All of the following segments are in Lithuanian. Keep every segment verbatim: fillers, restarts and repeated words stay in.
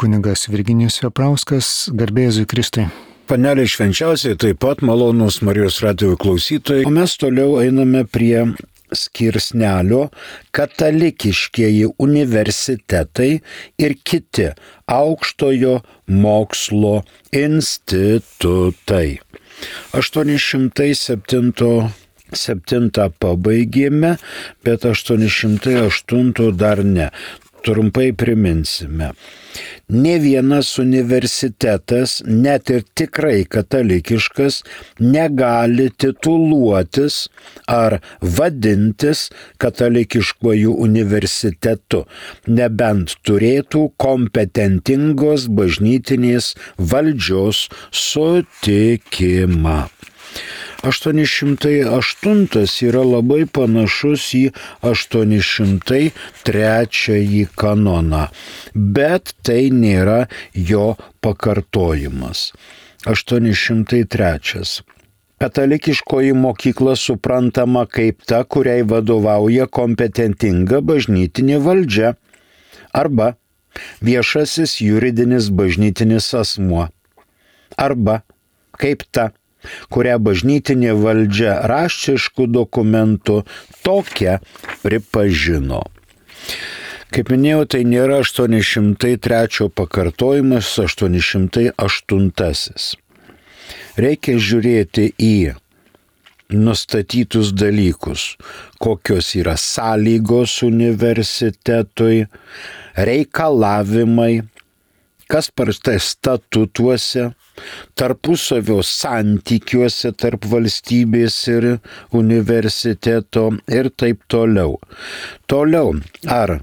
kunigas Virginijus Veprauskas, garbė Jėzui Kristui. Panelė švenčiausiai, taip pat malonūs Marijos radijo klausytojai. O mes toliau einame prie skirsnelio katalikiškieji universitetai ir kiti aukštojo mokslo institutai. aštuoni šimtai septintą pabaigėme, bet aštuoni šimtai aštuntą dar ne. Trumpai priminsime. Ne vienas universitetas, net ir tikrai katalikiškas, negali tituluotis ar vadintis katalikiškuoju universitetu, nebent turėtų kompetentingos bažnytinės valdžios sutikimą. aštuoni šimtai aštuntas yra labai panašus į aštuoni šimtai trečiąjį kanoną, bet tai nėra jo pakartojimas. aštuoni šimtai trečias. Katalikiškoji mokykla suprantama kaip ta, kuriai vadovauja kompetentinga bažnytinė valdžia arba viešasis juridinis bažnytinis asmuo arba kaip ta, kurią bažnytinė valdžia raštiškų dokumentų tokia pripažino. Kaip minėjau, tai nėra aštuoni šimtai trečią pakartojimas, aštuoni šimtai aštuntasis. Reikia žiūrėti į nustatytus dalykus, kokios yra sąlygos universitetui, reikalavimai, kas parašyta statutuose, tarpusavio santykiuose tarp valstybės ir universiteto ir taip toliau. Toliau, ar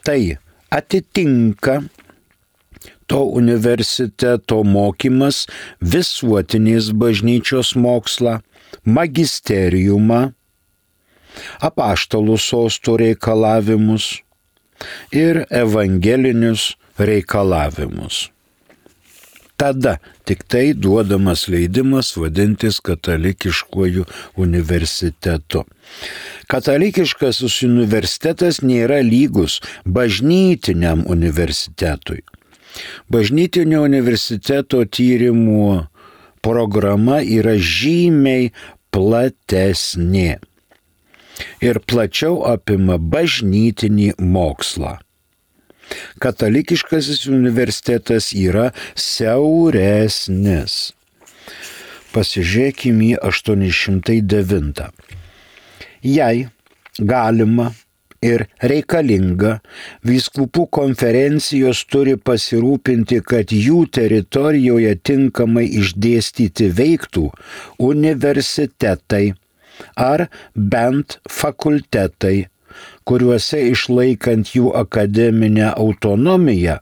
tai atitinka to universiteto mokymas visuotinės bažnyčios mokslą, magisteriumą, apaštalų sostų reikalavimus ir evangelinius reikalavimus. Tada tik tai duodamas leidimas vadintis katalikiškuoju universitetu. Katalikiškasis universitetas nėra lygus bažnytiniam universitetui. Bažnytinio universiteto tyrimų programa yra žymiai platesnė ir plačiau apima bažnytinį mokslą. Katalikiškasis universitetas yra siauresnis. Pasižiūrėkime į aštuoni šimtai devintą. Jei galima ir reikalinga, vyskupų konferencijos turi pasirūpinti, kad jų teritorijoje tinkamai išdėstyti veiktų universitetai ar bent fakultetai, kuriuose išlaikant jų akademinę autonomiją,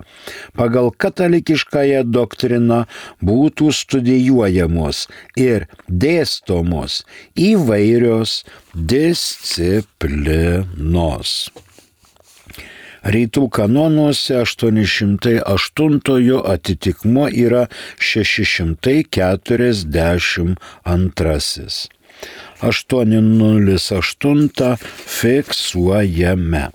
pagal katalikiškąją doktriną būtų studijuojamos ir dėstomos įvairios disciplinos. Rytų kanonuose aštuoni šimtai aštuntojo atitikmuo yra šeši šimtai keturiasdešimt antrasis. aštuoni nulis aštuntą fiksuojame.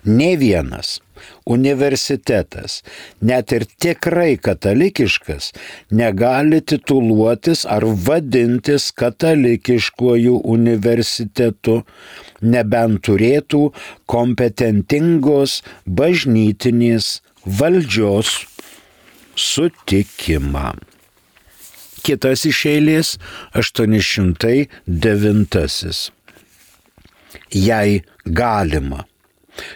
Ne vienas universitetas, net ir tikrai katalikiškas, negali tituluotis ar vadintis katalikiškuoju universitetu, nebent turėtų kompetentingos bažnytinės valdžios sutikimą. Kitas iš eilės aštuoni šimtai devintasis. Jei galima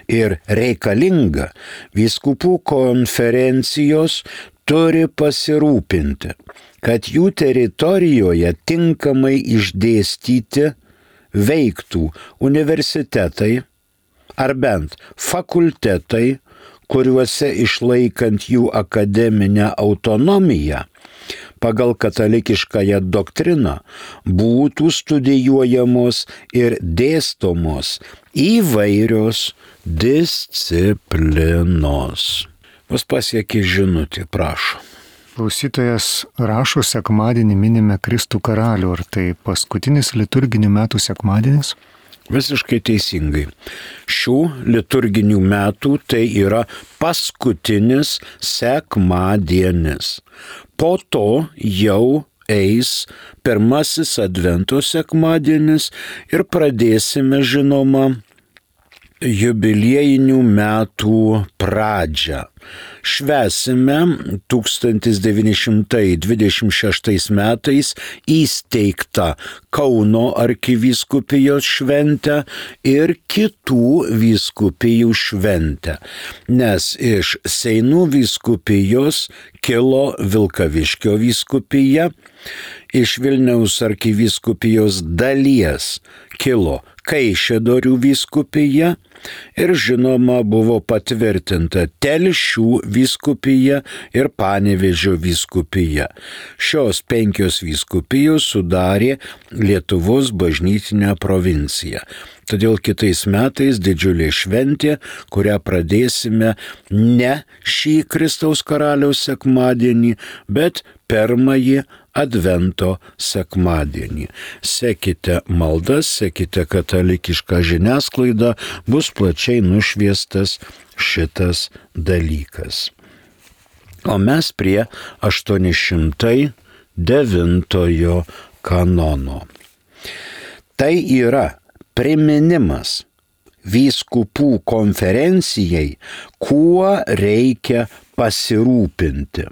ir reikalinga, vyskupų konferencijos turi pasirūpinti, kad jų teritorijoje tinkamai išdėstyti veiktų universitetai ar bent fakultetai, kuriuose išlaikant jų akademinę autonomiją, pagal katalikiškąją doktriną būtų studijuojamos ir dėstomos įvairios disciplinos. Mus pasiekė žinutė, prašom. Klausytojas rašo, sekmadienį minime Kristų karalių. Ar tai paskutinis liturginių metų sekmadienis? Visiškai teisingai. Šių liturginių metų tai yra paskutinis sekmadienis. Po to jau eis pirmasis Advento sekmadienis ir pradėsime, žinoma, jubiliejinių metų pradžią. Švęsime tūkstantis devyni šimtai dvidešimt šeštais metais įsteigtą Kauno arkivyskupijos šventę ir kitų vyskupijų šventę, nes iš Seinų vyskupijos kilo Vilkaviškio vyskupija, iš Vilniaus arkivyskupijos dalies kilo Kaišiadorių vyskupija ir žinoma buvo patvirtinta Telšių vyskupija ir Panevėžio vyskupija. Šios penkios vyskupijos sudarė Lietuvos bažnytinę provinciją. Todėl kitais metais didžiulė šventė, kurią pradėsime ne šį Kristaus karaliaus sekmadienį, bet pirmąjį Advento sekmadienį. Sekite maldas, sekite katalikišką žiniasklaidą, bus plačiai nušviestas šitas dalykas. O mes prie aštuoni šimtai devintojo kanono. Tai yra priminimas vyskupų konferencijai, kuo reikia pasirūpinti.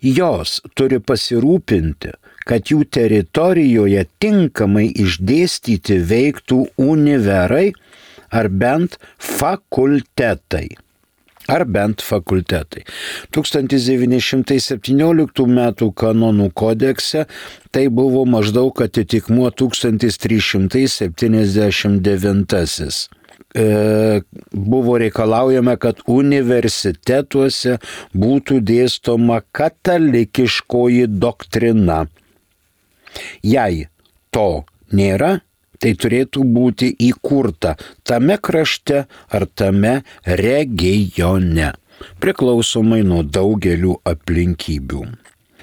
Jos turi pasirūpinti, kad jų teritorijoje tinkamai išdėstyti veiktų univerai ar bent fakultetai. Ar bent fakultetai. tūkstantis devyni šimtai septynioliktų metų kanonų kodekse tai buvo maždaug atitikmuo tūkstantis trys šimtai septyniasdešimt devintasis. E, buvo reikalaujama, kad universitetuose būtų dėstoma katalikiškoji doktrina. Jei to nėra, tai turėtų būti įkurta tame krašte ar tame regione, priklausomai nuo daugelių aplinkybių.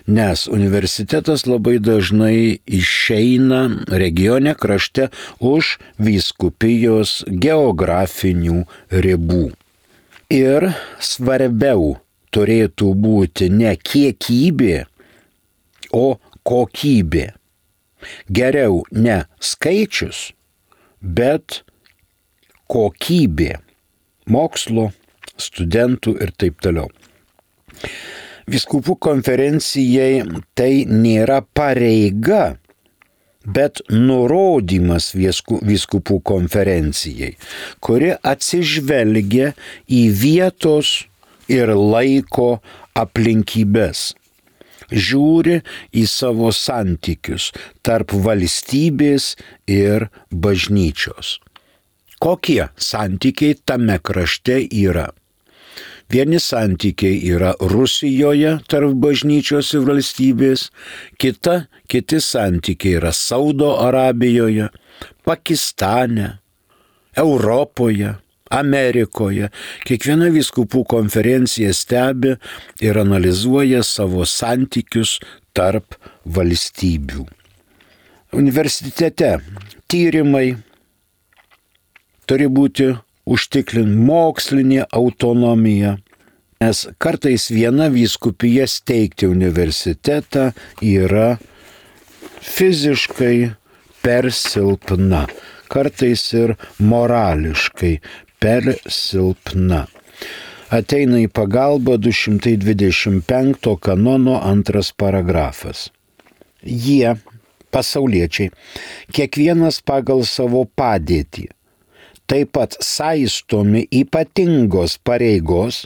Nes universitetas labai dažnai išeina regione krašte už vyskupijos geografinių ribų. Ir svarbiau turėtų būti ne kiekybė, o kokybė. Geriau ne skaičius, bet kokybė mokslo, studentų ir taip toliau. Vyskupų konferencijai tai nėra pareiga, bet nurodymas vyskupų konferencijai, kuri atsižvelgia į vietos ir laiko aplinkybes. Žiūri į savo santykius tarp valstybės ir bažnyčios. Kokie santykiai tame krašte yra? Vieni santykiai yra Rusijoje tarp bažnyčios ir valstybės, kita, kiti santykiai yra Saudo Arabijoje, Pakistane, Europoje, Amerikoje. Kiekviena vyskupų konferencija stebi ir analizuoja savo santykius tarp valstybių. Universitete tyrimai turi būti užtikrint mokslinė autonomija, nes kartais viena vyskupija steigti universitetą yra fiziškai per silpna, kartais ir morališkai per silpna. Ateina į pagalbą du šimtai dvidešimt penkto kanono antras paragrafas. Jie, pasauliečiai, kiekvienas pagal savo padėtį, taip pat saistomi ypatingos pareigos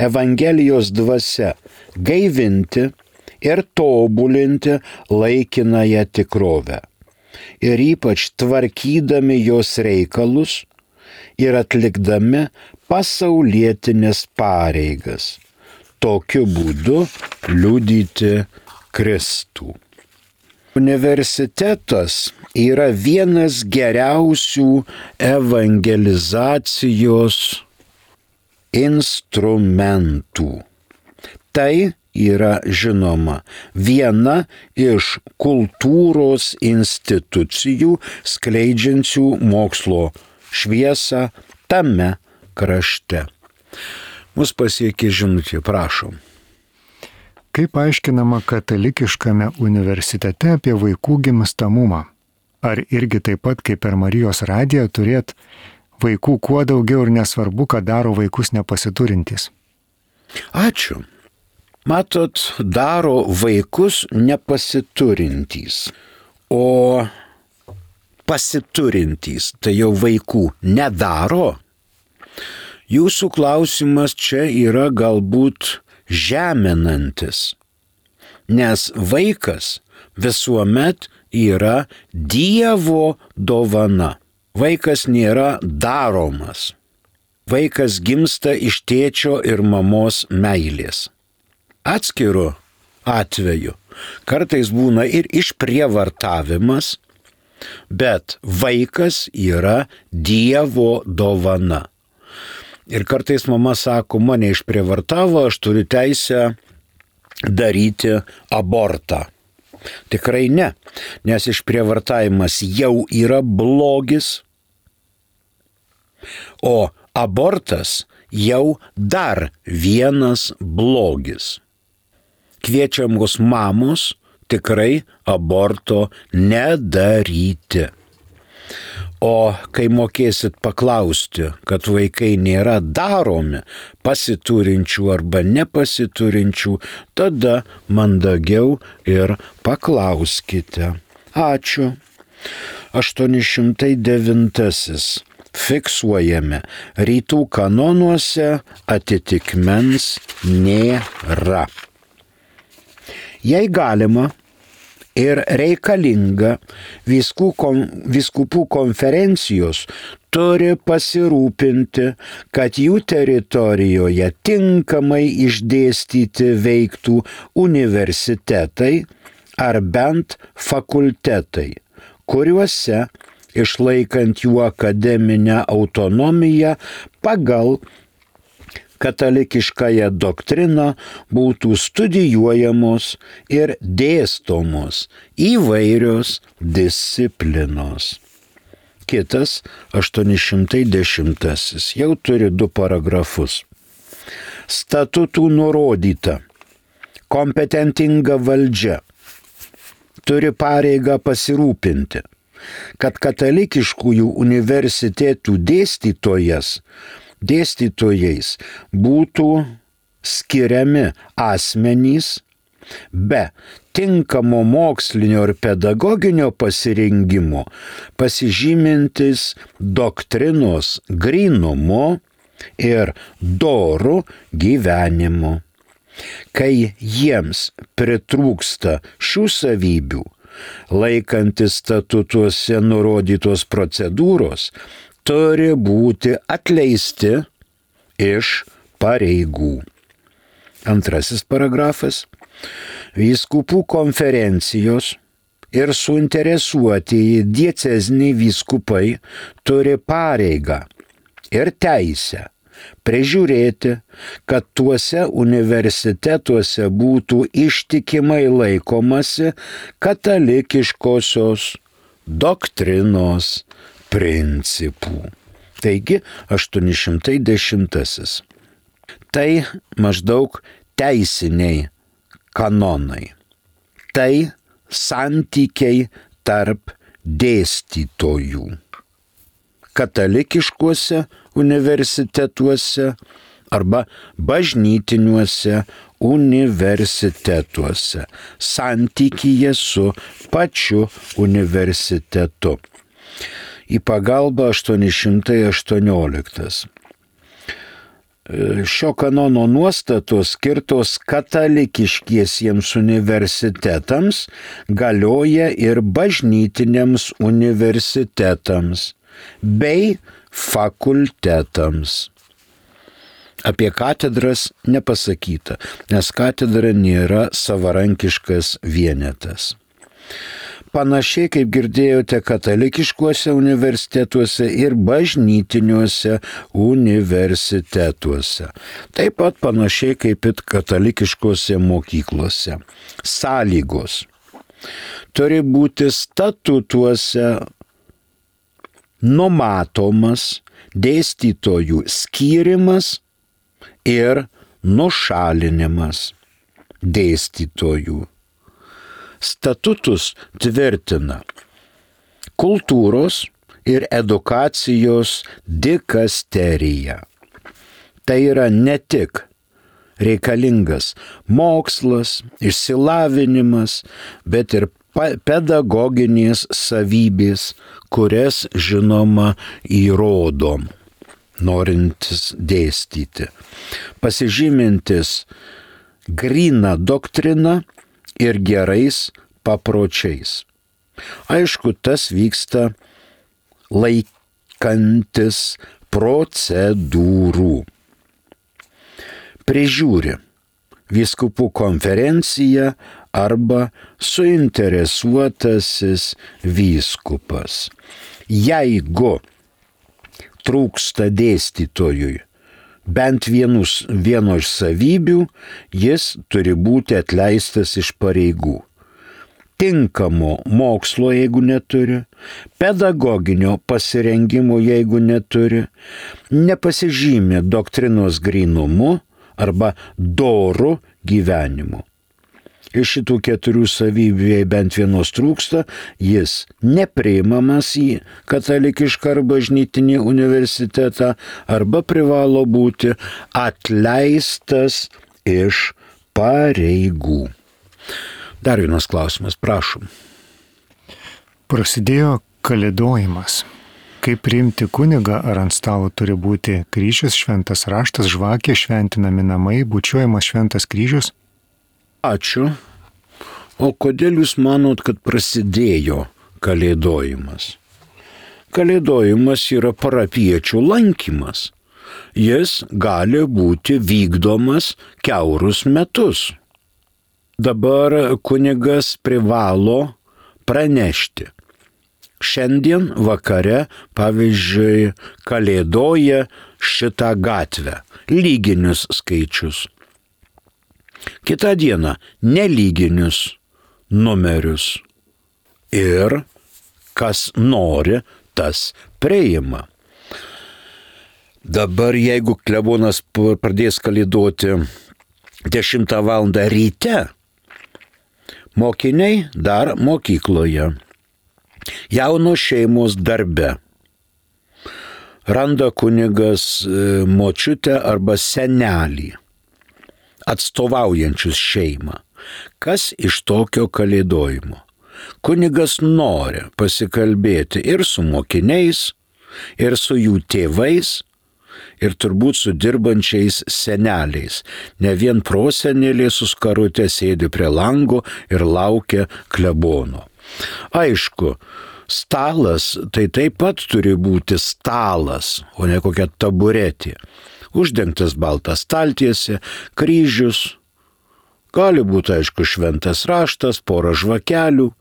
Evangelijos dvasia gaivinti ir tobulinti laikinąją tikrovę ir ypač tvarkydami jos reikalus ir atlikdami pasaulietinės pareigas, tokiu būdu liudyti Kristų. Universitetas yra vienas geriausių evangelizacijos instrumentų. Tai yra žinoma viena iš kultūros institucijų skleidžiančių mokslo šviesą tame krašte. Mus pasiekė žinutė, prašom. Kaip aiškinama katalikiškame universitete apie vaikų gimstamumą? Ar irgi taip pat kaip per Marijos radiją turėt vaikų kuo daugiau ir nesvarbu, ką daro vaikus nepasiturintys? Ačiū. Matot, daro vaikus nepasiturintys, o pasiturintys tai jau vaikų nedaro. Jūsų klausimas čia yra galbūt žeminantis, nes vaikas visuomet yra Dievo dovana. Vaikas nėra daromas. Vaikas gimsta iš tėčio ir mamos meilės. Atskiru atveju kartais būna ir išprievartavimas, bet vaikas yra Dievo dovana. Ir kartais mama sako, mane išprievartavo, aš turiu teisę daryti abortą. Tikrai ne, nes išprievartavimas jau yra blogis, o abortas jau dar vienas blogis. Kviečiamos mamos tikrai aborto nedaryti. O kai mokėsit paklausti, kad vaikai nėra daromi pasiturinčių arba nepasiturinčių, tada mandagiau ir paklauskite. Ačiū. aštuoni šimtai devintasis. Fiksuojame. Rytų kanonuose atitikmens nėra. Jei galima ir reikalinga, vyskupų konferencijos turi pasirūpinti, kad jų teritorijoje tinkamai išdėstyti veiktų universitetai ar bent fakultetai, kuriuose, išlaikant jų akademinę autonomiją pagal katalikiškąją doktriną, būtų studijuojamos ir dėstomos įvairios disciplinos. Kitas aštuoni šimtai dešimtasis jau turi du paragrafus. Statutų nurodyta, kompetentinga valdžia turi pareigą pasirūpinti, kad katalikiškųjų universitetų dėstytojas dėstytojais būtų skiriami asmenys be tinkamo mokslinio ir pedagoginio pasirengimo, pasižymintis doktrinos grynumu ir doru gyvenimu. Kai jiems pritrūksta šių savybių, laikantis statutuose nurodytos procedūros, turi būti atleisti iš pareigų. Antrasis paragrafas. Vyskupų konferencijos ir suinteresuotieji dieceziniai vyskupai turi pareigą ir teisę prižiūrėti, kad tuose universitetuose būtų ištikimai laikomasi katalikiškosios doktrinos principų. Taigi, aštuoni šimtai dešimtasis. Tai maždaug teisiniai kanonai. Tai santykiai tarp dėstytojų. Katalikiškuose universitetuose arba bažnytiniuose universitetuose. Santykyje su pačiu universitetu. Į pagalbą aštuoni šimtai aštuonioliktas. Šio kanono nuostatos skirtos katalikiškiesiems universitetams galioja ir bažnytiniams universitetams bei fakultetams. Apie katedras nepasakyta, nes katedra nėra savarankiškas vienetas. panašiai kaip girdėjote katalikiškuose universitetuose ir bažnytiniuose universitetuose. Taip pat panašiai kaip ir katalikiškuose mokyklose. Sąlygos. Turi būti statutuose numatomas dėstytojų skyrimas ir nušalinimas dėstytojų. Statutus tvirtina kultūros ir edukacijos dikasterija. Tai yra ne tik reikalingas mokslas, išsilavinimas, bet ir pedagoginės savybės, kurias žinoma įrodom, norintis dėstyti. Pasižymintis gryną doktriną ir gerais papročiais. Aišku, tas vyksta laikantis procedūrų. Prižiūri vyskupų konferencija arba suinteresuotasis vyskupas. Jeigu trūksta dėstytojui bent vienus, vieno iš savybių, jis turi būti atleistas iš pareigų. Tinkamo mokslo, jeigu neturi, pedagoginio pasirengimo, jeigu neturi, nepasižymė doktrinos grynumu arba doru gyvenimu. Iš šitų keturių savybių, jei bent vienos trūksta, jis nepriimamas į katalikišką ar bažnytinį universitetą arba privalo būti atleistas iš pareigų. Dar vienas klausimas, prašom. Prasidėjo kalėdojimas. Kaip priimti kunigą, ar ant stalo turi būti kryžius, šventas raštas, žvakė, šventinami namai, bučiuojamas šventas kryžius? Ačiū. O kodėl jūs manot, kad prasidėjo kalėdojimas? Kalėdojimas yra parapiečių lankymas. Jis gali būti vykdomas kiaurus metus. Dabar kunigas privalo pranešti. Šiandien vakare, pavyzdžiui, kalėdoja šitą gatvę. Lyginius skaičius. Kitą dieną nelyginius numerius. Ir kas nori, tas priima. Dabar jeigu klebonas pradės kalėdoti dešimtą valandą ryte, mokiniai dar mokykloje, jaunos šeimos darbe. Randa kunigas močiutę arba senelį, atstovaujančius šeimą. Kas iš tokio kalėdojimo? Kunigas nori pasikalbėti ir su mokiniais, ir su jų tėvais, ir turbūt su dirbančiais seneliais. Ne vien prosenelė su skarute sėdi prie lango ir laukia klebono. Aišku, stalas tai taip pat turi būti stalas, o ne kokia taburetė. Uždengtas baltas staltiesė, kryžius, gali būti, aišku, šventas raštas, pora žvakelių.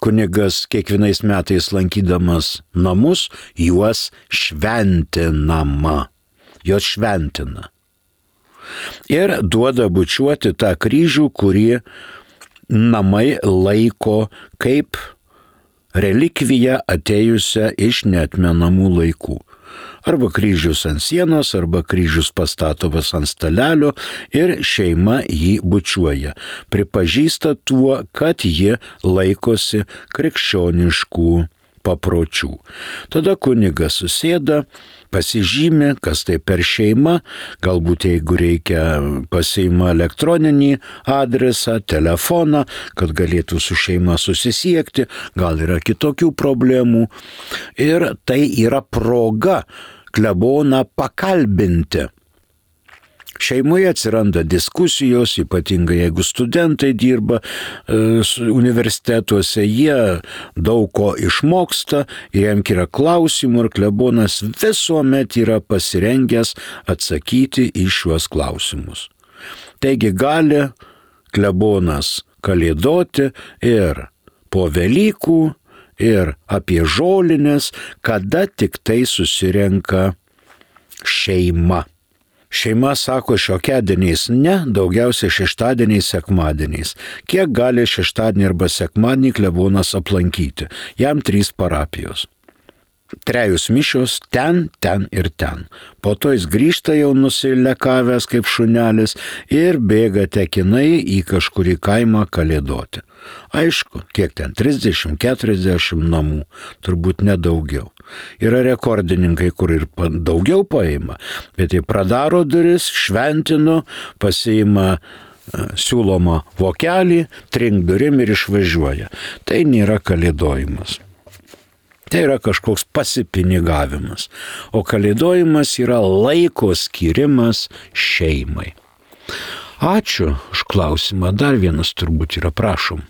Kunigas kiekvienais metais lankydamas namus, juos šventinama, juos šventina. Ir duoda bučiuoti tą kryžių, kurį namai laiko kaip relikviją atėjusią iš neatmenamų laikų. Arba kryžius ant sienos, arba kryžius pastatomas ant stalelio ir šeima jį bučiuoja. Pripažįsta tuo, kad ji laikosi krikščioniškų papročių. Tada kunigas susėda, pasižymė, kas tai per šeima, galbūt jeigu reikia pasiima elektroninį adresą, telefoną, kad galėtų su šeima susisiekti, gal yra kitokių problemų. Ir tai yra proga kleboną pakalbinti. Šeimoje atsiranda diskusijos, ypatingai jeigu studentai dirba e, universitetuose, jie daug ko išmoksta, jiems yra klausimų ir klebonas visuomet yra pasirengęs atsakyti į šiuos klausimus. Taigi gali klebonas kalėdoti ir po Velykų ir apie žolinės, kada tik tai susirenka šeima. Šeima sako šiokiadieniais ne, daugiausiai šeštadieniais, sekmadieniais. Kiek gali šeštadienį arba sekmadienį klebonas aplankyti? Jam trys parapijos. Trejus mišios ten, ten ir ten. Po to jis grįžta jau nusilekavęs kaip šunelis ir bėga tekinai į kažkurį kaimą kalėdoti. Aišku, kiek ten, trisdešimt keturiasdešimt namų, turbūt nedaugiau. Yra rekordininkai, kur ir daugiau paima, bet jie pradaro duris, šventino, pasiima siūlomą vokelį, trink durim ir išvažiuoja. Tai nėra kalėdojimas. Tai yra kažkoks pasipinigavimas. O kalėdojimas yra laiko skirimas šeimai. Ačiū už klausimą. Dar vienas turbūt yra, prašom.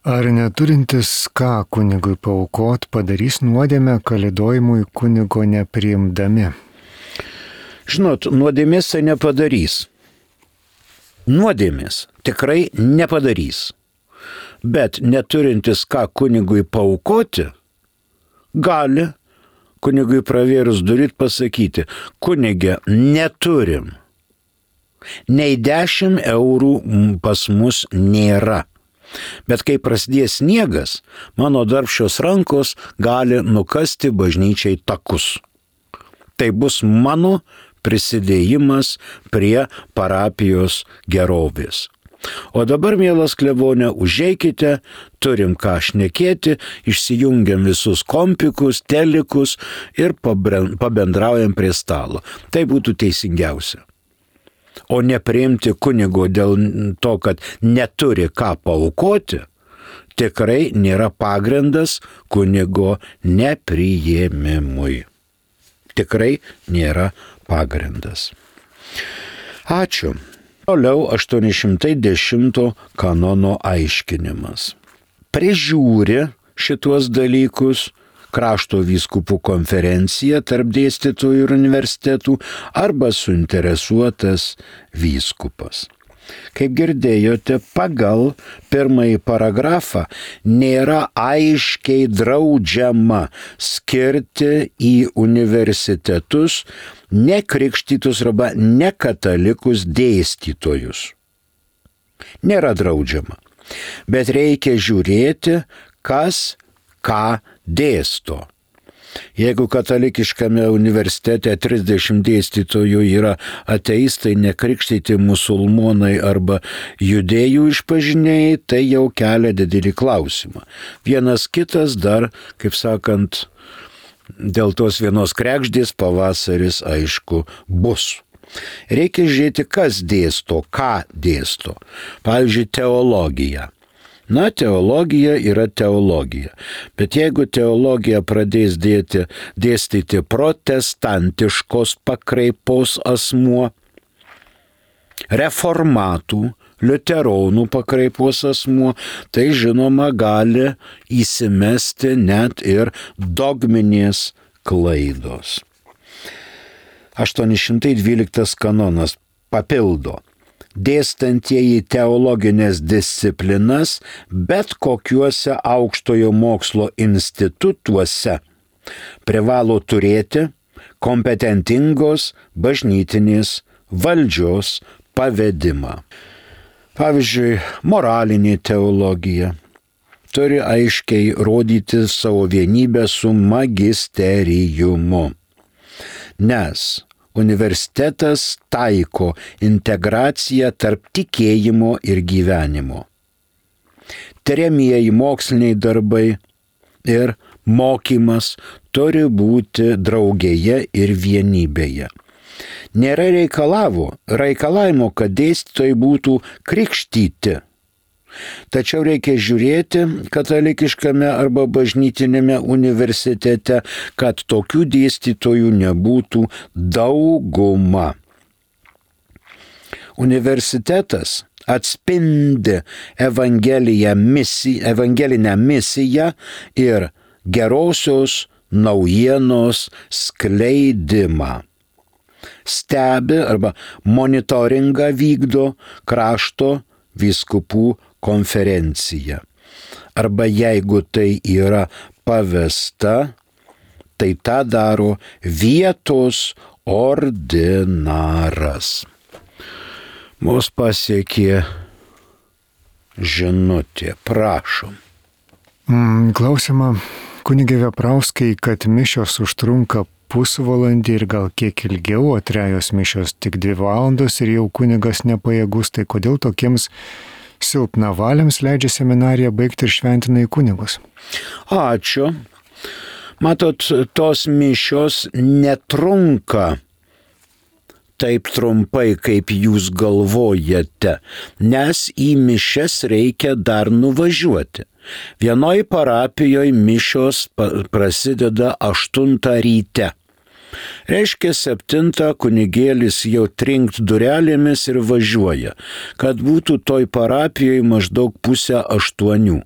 Ar neturintis ką kunigui paaukot padarys nuodėmę kalėdojimui kunigo nepriimdami? Žinot, nuodėmės tai nepadarys. Nuodėmės tikrai nepadarys. Bet neturintis ką kunigui paaukoti, gali kunigui pravėrus durit pasakyti, kunige, neturim. Nei dešimt eurų pas mus nėra. Bet kai prasidės sniegas, mano darbščios rankos gali nukasti bažnyčiai takus. Tai bus mano prisidėjimas prie parapijos gerovės. O dabar, mielas klebone, užeikite, turim ką šnekėti, išsijungiam visus kompikus, telikus ir pabendraujam prie stalo. Tai būtų teisingiausia. O nepriimti kunigo dėl to, kad neturi ką paaukoti, tikrai nėra pagrindas kunigo nepriėmimui. Tikrai nėra pagrindas. Ačiū. Toliau aštuoni šimtai dešimto kanono aiškinimas. Prižiūri šituos dalykus krašto vyskupų konferencija tarp dėstytojų ir universitetų arba suinteresuotas vyskupas. Kaip girdėjote, pagal pirmąjį paragrafą nėra aiškiai draudžiama skirti į universitetus nekrikštytus arba nekatalikus dėstytojus. Nėra draudžiama, bet reikia žiūrėti, kas ką dėsto. Jeigu katalikiškame universitete trisdešimt dėstytojų yra ateistai, nekrikštyti musulmonai arba judėjų išpažinėjai, tai jau kelia didelį klausimą. Vienas kitas dar, kaip sakant, dėl tos vienos kregždės pavasaris, aišku, bus. Reikia žiūrėti, kas dėsto, ką dėsto. Pavyzdžiui, teologija. Na, teologija yra teologija, bet jeigu teologija pradės dėti, dėstyti protestantiškos pakraipos asmuo, reformatų, liuteronų pakraipos asmuo, tai žinoma gali įsimesti net ir dogminės klaidos. aštuoni šimtai dvyliktas kanonas papildo. Dėstantieji teologinės disciplinas bet kokiuose aukštojo mokslo institutuose privalo turėti kompetentingos bažnytinės valdžios pavedimą. Pavyzdžiui, moralinė teologija turi aiškiai rodyti savo vienybę su magisteriumu, nes universitetas taiko integraciją tarp tikėjimo ir gyvenimo. Tiriamieji moksliniai darbai ir mokymas turi būti draugėje ir vienybėje. Nėra reikalavo, reikalavimo, kad dėstytojai būtų krikštyti. Tačiau reikia žiūrėti katalikiškame arba bažnytinėme universitete, kad tokių dėstytojų nebūtų dauguma. Universitetas atspindi evangeliją misiją, evangelinę misiją ir gerosios naujienos skleidimą. Stebi arba monitoringą vykdo krašto vyskupų konferencija. arba jeigu tai yra pavesta, tai tą daro vietos ordinaras. Mus pasiekė žinutė, prašom. Mm, klausimą, kunigė Veprauskai, kad mišios užtrunka pusvalandį ir gal kiek ilgiau, o trejos mišios tik dvi valandos ir jau kunigas nepajėgus, tai kodėl tokiems silpnavaliams leidžia seminariją baigti ir šventina į kunigus? Ačiū. Matot, tos mišios netrunka taip trumpai, kaip jūs galvojate, nes į mišias reikia dar nuvažiuoti. Vienoj parapijoje mišios prasideda aštuntą ryte. Reiškia, septintą kunigėlis jau trinkt durelėmis ir važiuoja, kad būtų toj parapijoje maždaug pusę aštuonių.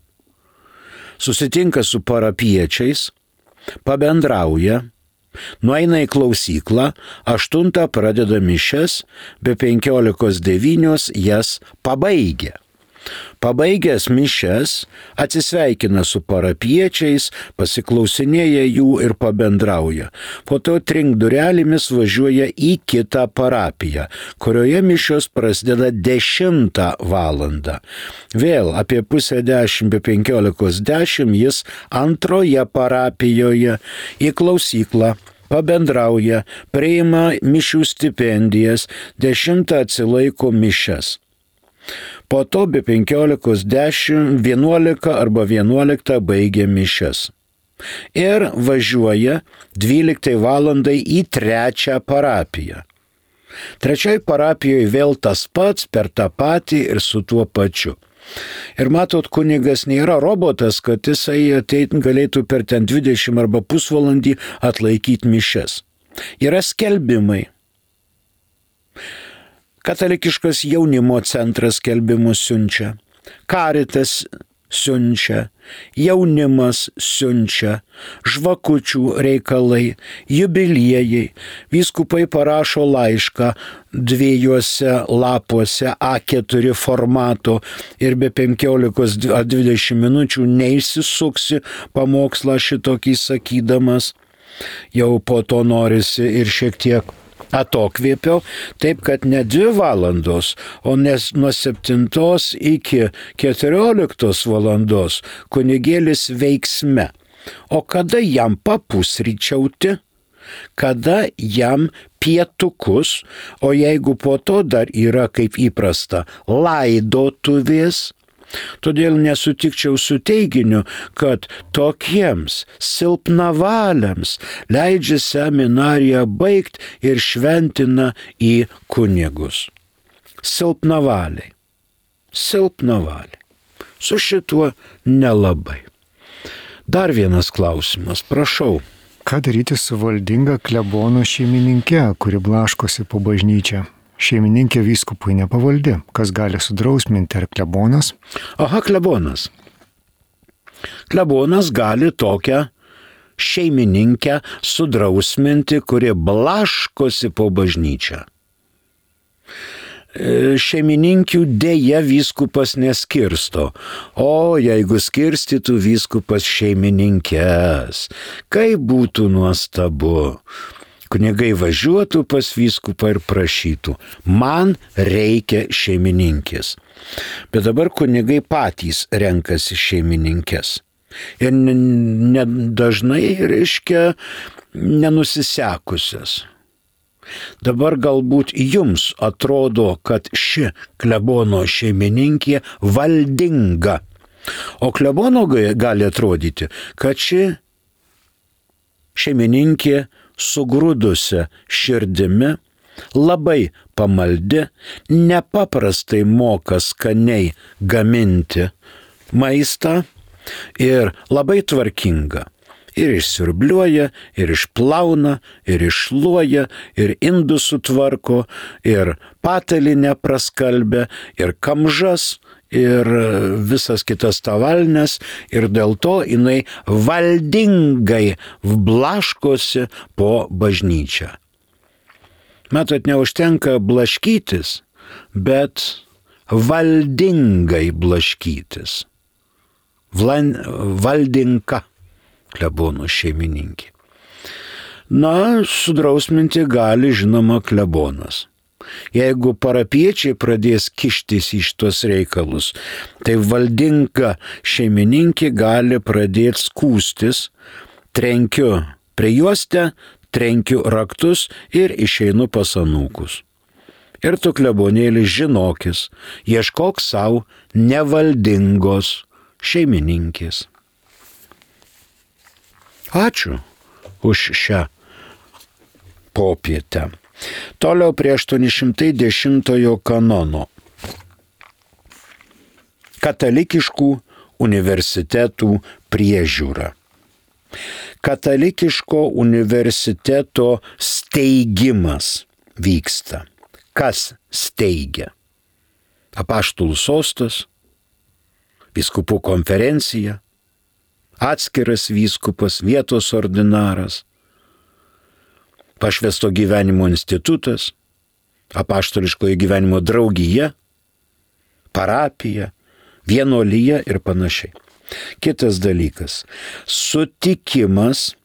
Susitinka su parapiečiais, pabendrauja, nueina į klausyklą, aštuntą pradeda mišias, be penkiolikos devynios jas pabaigia. Pabaigęs mišias, atsisveikina su parapiečiais, pasiklausinėja jų ir pabendrauja. Po to trink durelėmis važiuoja į kitą parapiją, kurioje mišios prasideda dešimtą valandą. Vėl apie pusę dešimt, be penkiolikos dešimt jis antroje parapijoje į klausyklą pabendrauja, priima mišių stipendijas, dešimtą atsilaiko mišias. Po to be penkiolikos dešimt, vienuolika arba vienuoliktą baigia mišias. Ir važiuoja dvyliktai valandai į trečią parapiją. Trečioj parapijoje vėl tas pats, per tą patį ir su tuo pačiu. Ir matot, kunigas nėra robotas, kad jisai ateit galėtų per ten dvidešimt arba pusvalandį atlaikyti mišias. Yra skelbimai. Katalikiškas jaunimo centras skelbimus siunčia, Karitas siunčia, jaunimas siunčia, žvakučių reikalai, jubiliejai, vyskupai parašo laišką dviejuose lapuose A keturi formato ir be penkiolikos dvidešimt minučių neišsisuksi pamokslą šitokį sakydamas. Jau po to norisi ir šiek tiek atokvėpiau, taip kad ne dvi valandos, o nes nuo septintos iki keturioliktos valandos kunigėlis veiksme. O kada jam papusryčiauti, kada jam pietukus, o jeigu po to dar yra kaip įprasta laidotuvės, todėl nesutikčiau su teiginiu, kad tokiems silpnavaliams leidžia seminariją baigti ir šventina į kunigus. Silpnavaliai. Silpnavaliai. Su šituo nelabai. Dar vienas klausimas, prašau. Ką daryti su valdinga klebono šeimininke, kuri blaškosi po bažnyčią? Šeimininkė vyskupui nepavaldi, kas gali sudrausminti, ar klebonas? Aha, klebonas. Klebonas gali tokią šeimininkę sudrausminti, kuri blaškosi po bažnyčią. Šeimininkių dėja vyskupas neskirsto, o jeigu skirstytų vyskupas šeimininkes, kaip būtų nuostabu. Kunigai važiuotų pas vyskupą ir prašytų, man reikia šeimininkės. Bet dabar kunigai patys renkasi šeimininkės. Ir dažnai, reiškia, nenusisekusias. Dabar galbūt jums atrodo, kad ši klebono šeimininkė valdinga. O klebono gali atrodyti, kad ši šeimininkė sugrūdusią širdimi, labai pamaldi, nepaprastai moka skaniai gaminti maistą ir labai tvarkinga. Ir išsiurbliuoja, ir išplauna, ir iššluoja, ir indus sutvarko, ir patalinę praskalbia, ir kamžas, ir visas kitas tavalnes, ir dėl to jinai valdingai blaškosi po bažnyčią. Matot, neužtenka blaškytis, bet valdingai blaškytis. Vlan, Valdinka, klebono šeimininkė. Na, sudrausminti gali, žinoma, klebonas. Jeigu parapiečiai pradės kištis į šitos reikalus, tai Valdinka šeimininkė gali pradėti skūstis, trenkiu prijuostę, trenkiu raktus ir išeinu pas anūkus. Ir tu, klebonėlis, žinokis, ieškok savo nevaldingos šeimininkės. Ačiū už šią popietę. Toliau prie aštuoni šimtai dešimtojo kanono. Katalikiškų universitetų priežiūra. Katalikiško universiteto steigimas vyksta. Kas steigia? Apaštalų sostas, vyskupų konferencija, atskiras vyskupas, vietos ordinaras, pašvęsto gyvenimo institutas, apaštališkojo gyvenimo draugija, parapija, vienuolija ir panašiai. Kitas dalykas – sutikimas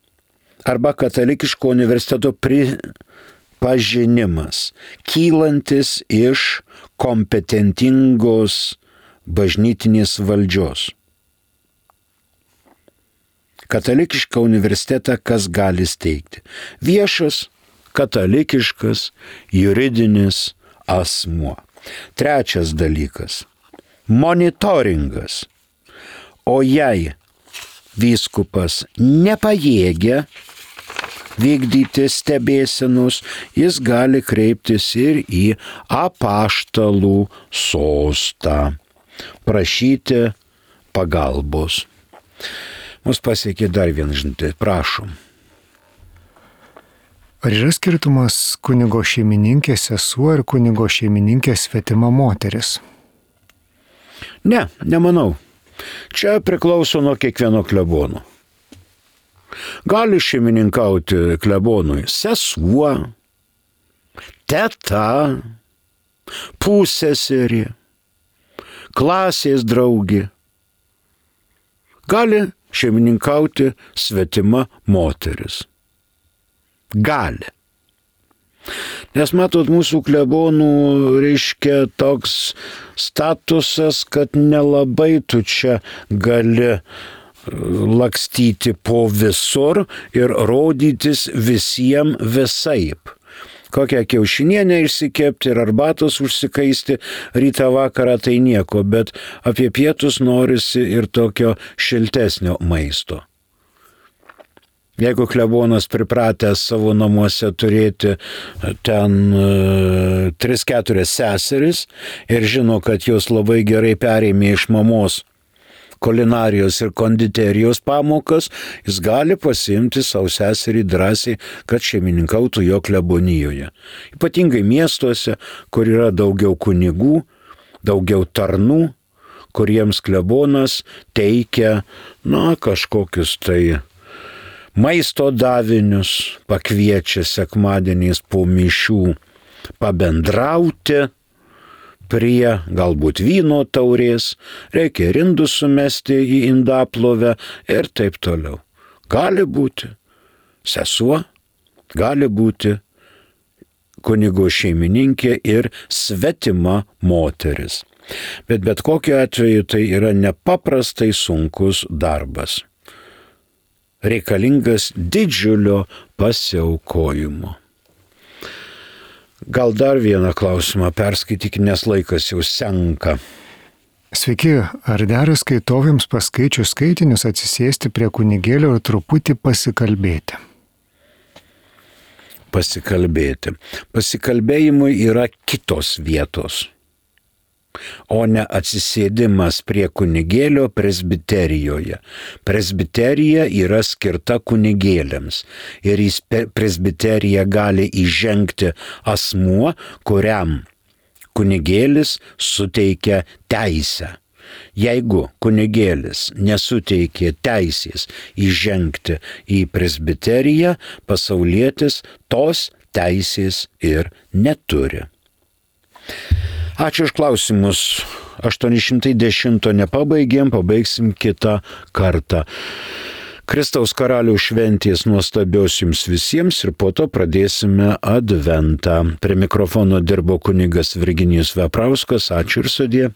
arba katalikiško universiteto pripažinimas, kylantis iš kompetentingos bažnytinės valdžios. Katalikišką universitetą kas gali steigti? Viešas, katalikiškas, juridinis asmuo. Trečias dalykas – monitoringas. O jei vyskupas nepajėgia vykdyti stebėsenos, jis gali kreiptis ir į apaštalų sostą, prašyti pagalbos. Mus pasiekė dar vieną žinutę, prašom. Ar yra skirtumas kunigo šeimininkės sesuo ir kunigo šeimininkės svetima moteris? Ne, nemanau. Čia priklauso nuo kiekvieno klebono. Gali šeimininkauti klebonui sesuo, teta, pusseserė, klasės draugė. Gali šeimininkauti svetima moteris. Gali. Nes matot, mūsų klebonų reiškia toks statusas, kad nelabai tu čia gali lakstyti po visur ir rodytis visiems visaip. Kokią kiaušinienę išsikepti ir arbatos užsikaisti rytą vakarą tai nieko, bet apie pietus norisi ir tokio šiltesnio maisto. Jeigu klebonas pripratęs savo namuose turėti ten e, tris keturias seseris ir žino, kad jos labai gerai perėmė iš mamos kulinarijos ir konditerijos pamokas, jis gali pasiimti savo seserį drąsiai, kad šeimininkautų jo klebonijoje. Ypatingai miestuose, kur yra daugiau kunigų, daugiau tarnų, kuriems klebonas teikia, na, kažkokius tai maisto davinius, pakviečia sekmadieniais po mišių pabendrauti prie galbūt vyno taurės, reikia ir indus sumesti į indaplovę ir taip toliau. Gali būti sesuo, gali būti kunigo šeimininkė ir svetima moteris. Bet bet kokiu atveju tai yra nepaprastai sunkus darbas. Reikalingas didžiulio pasiaukojimo. Gal dar vieną klausimą perskaityk, nes laikas jau senka. Sveiki, ar dera skaitovėms paskaičius skaitinius atsisėsti prie kunigėlio ir truputį pasikalbėti? Pasikalbėti. Pasikalbėjimui yra kitos vietos, o ne atsisėdimas prie kunigėlio presbiterijoje. Presbiterija yra skirta kunigėliams ir į presbiteriją gali įžengti asmuo, kuriam kunigėlis suteikia teisę. Jeigu kunigėlis nesuteikė teisės įžengti į presbiteriją, pasaulietis tos teisės ir neturi. Ačiū už klausimus. aštuoni šimtai dešimt nepabaigėm, pabaigsim kitą kartą. Kristaus karaliaus šventės nuostabios jums visiems ir po to pradėsime adventą. Prie mikrofono dirbo kunigas Virginijus Veprauskas. Ačiū ir sudie.